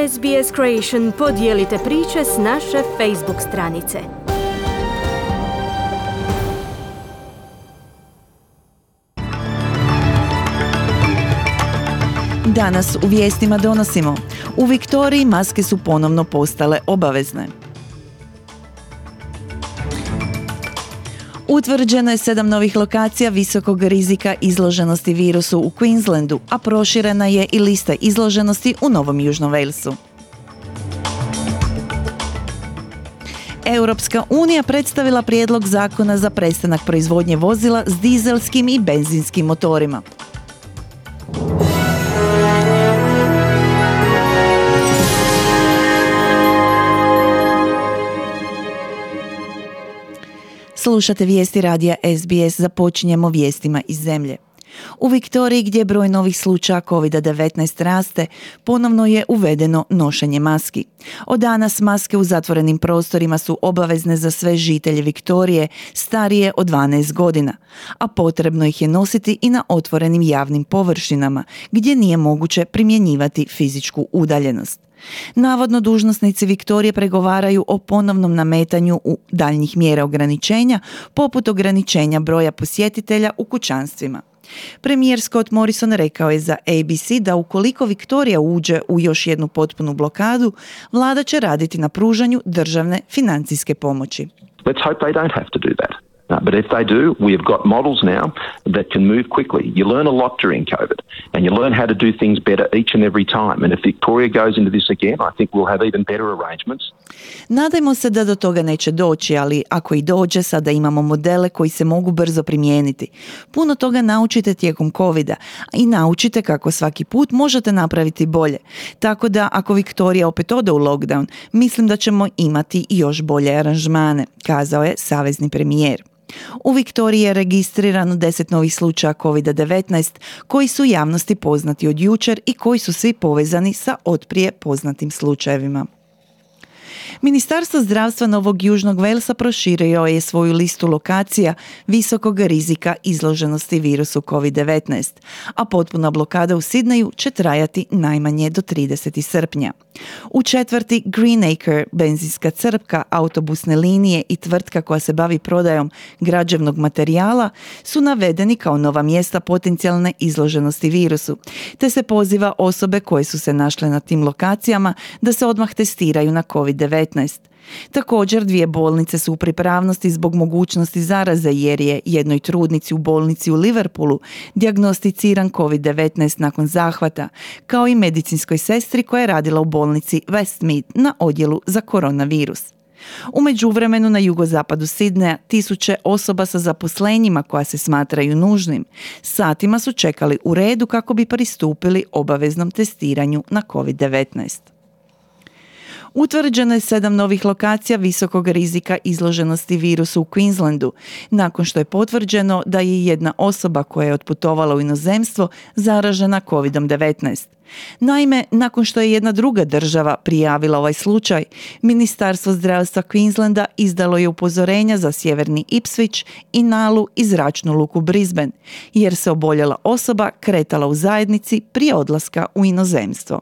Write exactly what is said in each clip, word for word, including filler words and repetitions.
S B S Creation podijelite priče s naše Facebook stranice. Danas u vijestima donosimo: u Viktoriji maske su ponovno postale obavezne. Utvrđeno je sedam novih lokacija visokog rizika izloženosti virusu u Queenslandu, a proširena je i lista izloženosti u Novom Južnom Walesu. Europska unija predstavila prijedlog zakona za prestanak proizvodnje vozila s dizelskim i benzinskim motorima. Slušate vijesti radija S B S, započinjemo vijestima iz zemlje. U Viktoriji, gdje broj novih slučaja kovid devetnaest raste, ponovno je uvedeno nošenje maski. Od danas maske u zatvorenim prostorima su obavezne za sve žitelje Viktorije starije od dvanaest godina, a potrebno ih je nositi i na otvorenim javnim površinama, gdje nije moguće primjenjivati fizičku udaljenost. Navodno dužnosnici Viktorije pregovaraju o ponovnom nametanju u daljnjih mjera ograničenja, poput ograničenja broja posjetitelja u kućanstvima. Premijer Scott Morrison rekao je za A B C da ukoliko Viktorija uđe u još jednu potpunu blokadu, vlada će raditi na pružanju državne financijske pomoći. Let's hope they don't have to do that. No, but if they do, we have got models now that can move quickly. You learn a lot during COVID, and you learn how to do things better each and every time. And if Victoria goes into this again, I think we'll have even better arrangements. Nadajmo se da do toga neće doći, ali ako i dođe, sada imamo modele koji se mogu brzo primijeniti. Puno toga naučite tijekom covida i naučite kako svaki put možete napraviti bolje. Tako da ako Viktorija opet ode u lockdown, mislim da ćemo imati još bolje aranžmane, kazao je savezni premijer. U Viktoriji je registrirano deset novih slučaja kovid devetnaest koji su javnosti poznati od jučer i koji su svi povezani sa otprije poznatim slučajevima. Ministarstvo zdravstva Novog Južnog Walesa proširio je svoju listu lokacija visokog rizika izloženosti virusu kovid devetnaest, a potpuna blokada u Sidneju će trajati najmanje do tridesetog srpnja. U četvrti Greenacre, benzinska crpka, autobusne linije i tvrtka koja se bavi prodajom građevnog materijala su navedeni kao nova mjesta potencijalne izloženosti virusu, te se poziva osobe koje su se našle na tim lokacijama da se odmah testiraju na kovid devetnaest. Također, dvije bolnice su u pripravnosti zbog mogućnosti zaraze jer je jednoj trudnici u bolnici u Liverpoolu dijagnosticiran kovid devetnaest nakon zahvata, kao i medicinskoj sestri koja je radila u bolnici Westmead na odjelu za koronavirus. U međuvremenu na jugozapadu Sidneja tisuće osoba sa zaposlenjima koja se smatraju nužnim satima su čekali u redu kako bi pristupili obaveznom testiranju na kovid devetnaest. Utvrđeno je sedam novih lokacija visokog rizika izloženosti virusu u Queenslandu, nakon što je potvrđeno da je jedna osoba koja je otputovala u inozemstvo zaražena kovid devetnaest. Naime, nakon što je jedna druga država prijavila ovaj slučaj, Ministarstvo zdravstva Queenslanda izdalo je upozorenja za sjeverni Ipswich i Nalu i zračnu luku Brisbane, jer se oboljela osoba kretala u zajednici prije odlaska u inozemstvo.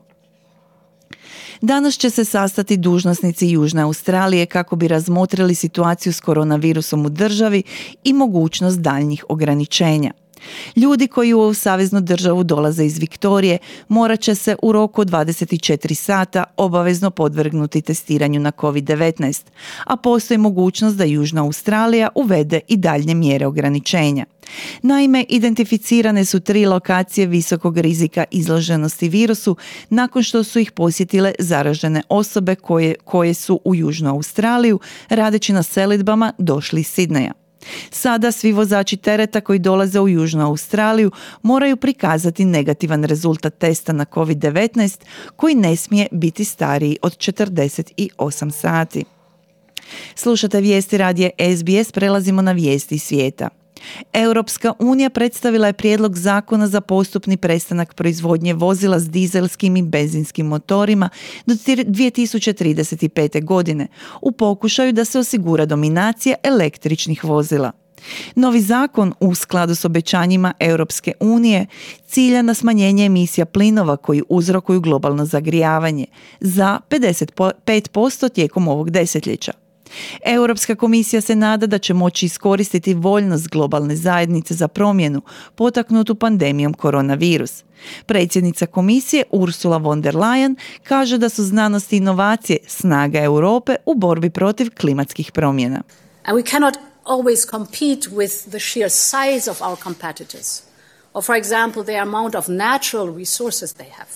Danas će se sastati dužnosnici Južne Australije kako bi razmotrili situaciju s koronavirusom u državi i mogućnost daljnjih ograničenja. Ljudi koji u saveznu državu dolaze iz Viktorije morat će se u roku od dvadeset četiri sata obavezno podvrgnuti testiranju na kovid devetnaest, a postoji mogućnost da Južna Australija uvede i daljnje mjere ograničenja. Naime, identificirane su tri lokacije visokog rizika izloženosti virusu nakon što su ih posjetile zaražene osobe koje, koje su u Južnu Australiju radeći na selidbama došli iz Sidneja. Sada svi vozači tereta koji dolaze u Južnu Australiju moraju prikazati negativan rezultat testa na kovid devetnaest koji ne smije biti stariji od četrdeset osam sati. Slušate vijesti radija S B S, prelazimo na vijesti svijeta. Europska unija predstavila je prijedlog zakona za postupni prestanak proizvodnje vozila s dizelskim i benzinskim motorima do dvije tisuće trideset pete. godine u pokušaju da se osigura dominacija električnih vozila. Novi zakon u skladu s obećanjima Europske unije cilja na smanjenje emisija plinova koji uzrokuju globalno zagrijavanje za pedeset pet posto tijekom ovog desetljeća. Europska komisija se nada da će moći iskoristiti voljnost globalne zajednice za promjenu potaknutu pandemijom koronavirus. Predsjednica komisije Ursula von der Leyen kaže da su znanost i inovacije snaga Europe u borbi protiv klimatskih promjena. And we cannot always compete with the sheer size of our competitors, or for example the amount of natural resources they have.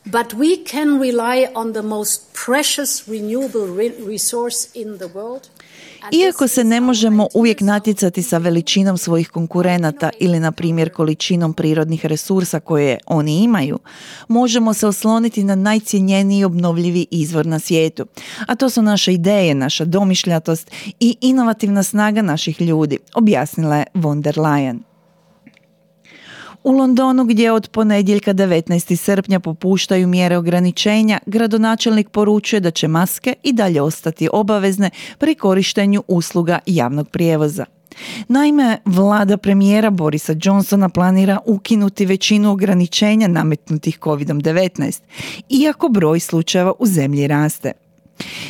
But we can rely on the most precious renewable re- resource in the world. Iako se ne možemo uvijek natjecati sa veličinom svojih konkurenata ili na primjer količinom prirodnih resursa koje oni imaju, možemo se osloniti na najcjenjeniji obnovljivi izvor na svijetu. A to su naše ideje, naša domišljatost i inovativna snaga naših ljudi, objasnila je von der Leyen. U Londonu, gdje od ponedjeljka devetnaestog srpnja popuštaju mjere ograničenja, gradonačelnik poručuje da će maske i dalje ostati obavezne pri korištenju usluga javnog prijevoza. Naime, vlada premijera Borisa Johnsona planira ukinuti većinu ograničenja nametnutih kovid devetnaest, iako broj slučajeva u zemlji raste.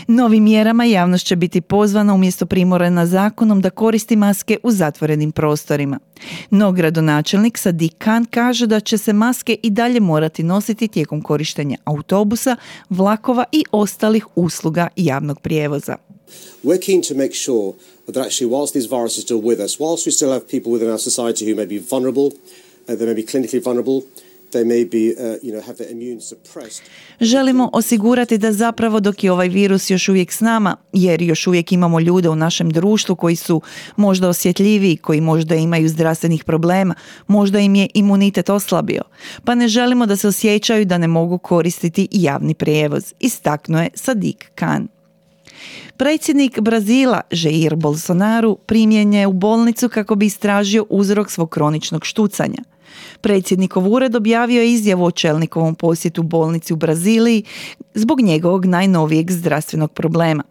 Novim mjerama javnost će biti pozvana umjesto primorana zakonom da koristi maske u zatvorenim prostorima. No gradonačelnik Sadiq Khan kaže da će se maske i dalje morati nositi tijekom korištenja autobusa, vlakova i ostalih usluga javnog prijevoza. We're keen to make sure that actually whilst these viruses are still with us, whilst we still have people within our society who may be vulnerable, uh, they may be clinically vulnerable, they may be, uh, you know, have their immune suppressed. Želimo osigurati da zapravo dok je ovaj virus još uvijek s nama, jer još uvijek imamo ljude u našem društvu koji su možda osjetljiviji, koji možda imaju zdravstvenih problema, možda im je imunitet oslabio, pa ne želimo da se osjećaju da ne mogu koristiti javni prijevoz, istaknuo je Sadiq Khan. Predsjednik Brazila Jair Bolsonaro primljen je u bolnicu kako bi istražio uzrok svog kroničnog štucanja. Predsjednikov ured objavio je izjavu o čelnikovom posjetu bolnici u Braziliji zbog njegovog najnovijeg zdravstvenog problema.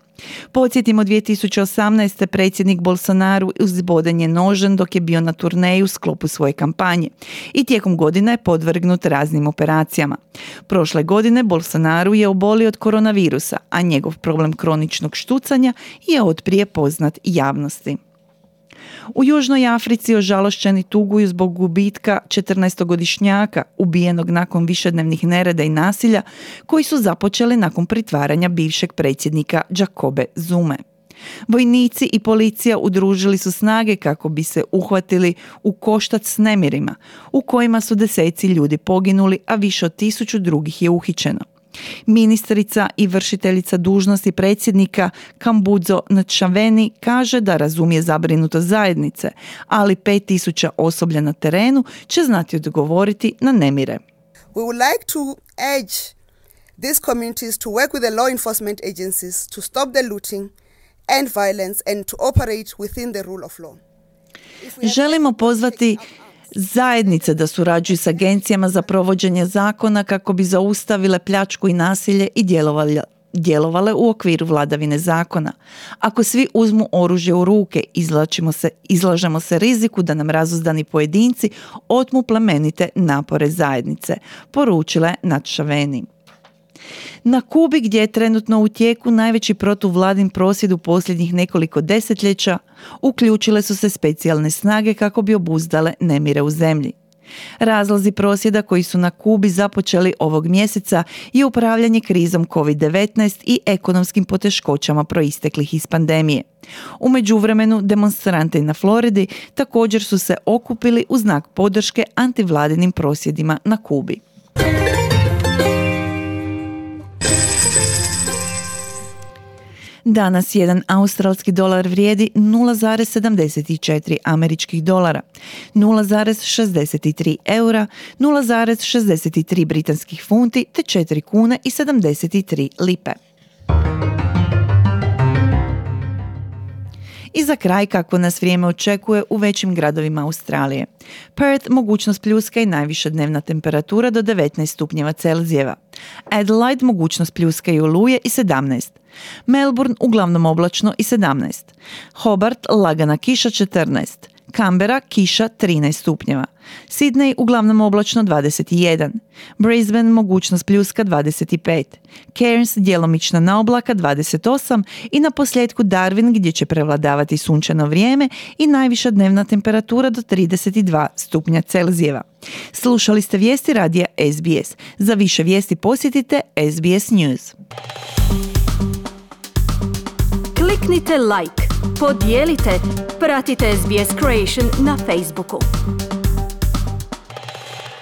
Podsjetimo, dvije tisuće osamnaeste. predsjednik Bolsonaro uzboden je nožem dok je bio na turneji u sklopu svoje kampanje i tijekom godine je podvrgnut raznim operacijama. Prošle godine Bolsonaro je obolio od koronavirusa, a njegov problem kroničnog štucanja je otprije poznat javnosti. U Južnoj Africi ožalošćeni tuguju zbog gubitka četrnaestogodišnjaka ubijenog nakon višednevnih nereda i nasilja koji su započeli nakon pritvaranja bivšeg predsjednika Jacobe Zume. Vojnici i policija udružili su snage kako bi se uhvatili u koštac s nemirima u kojima su deseci ljudi poginuli, a više od tisuću drugih je uhićeno. Ministrica i vršiteljica dužnosti predsjednika Kambudzo Nchaveni kaže da razumije zabrinutost zajednice, ali pet tisuća osoblja na terenu će znati odgovoriti na nemire. We would like to urge these communities to work with the law enforcement agencies to stop the looting and violence and to operate within the rule of law. Želimo pozvati zajednice da surađuju s agencijama za provođenje zakona kako bi zaustavile pljačku i nasilje i djelovale, djelovale u okviru vladavine zakona. Ako svi uzmu oružje u ruke, izlačimo se, izlažemo se riziku da nam razuzdani pojedinci otmu plemenite napore zajednice, poručila je Nchaveni. Na Kubi, gdje je trenutno u tijeku najveći protuvladin prosvjed u posljednjih nekoliko desetljeća, uključile su se specijalne snage kako bi obuzdale nemire u zemlji. Razlozi prosvjeda koji su na Kubi započeli ovog mjeseca je upravljanje krizom kovid devetnaest i ekonomskim poteškoćama proisteklih iz pandemije. U međuvremenu demonstranti na Floridi također su se okupili u znak podrške antivladinim prosvjedima na Kubi. Danas jedan australski dolar vrijedi nula zarez sedamdeset četiri američkih dolara, nula zarez šezdeset tri eura, nula zarez šezdeset tri britanskih funti te četiri kune i sedamdeset tri lipe. I za kraj kako nas vrijeme očekuje u većim gradovima Australije. Perth mogućnost pljuska i najviša dnevna temperatura do devetnaest stupnjeva Celzijeva. Adelaide mogućnost pljuska i oluje i sedamnaest. Melbourne uglavnom oblačno i sedamnaest. Hobart lagana kiša četrnaest. Canberra kiša trinaest stupnjeva. Sydney uglavnom oblačno dvadeset jedan. Brisbane mogućnost pljuska dvadeset pet. Cairns djelomična naoblaka dvadeset osam i na posljedku Darwin gdje će prevladavati sunčano vrijeme i najviša dnevna temperatura do trideset dva stupnja Celzijeva. Slušali ste vijesti radija S B S. Za više vijesti posjetite S B S News. Kliknite like, podijelite, pratite S B S Creation na Facebooku.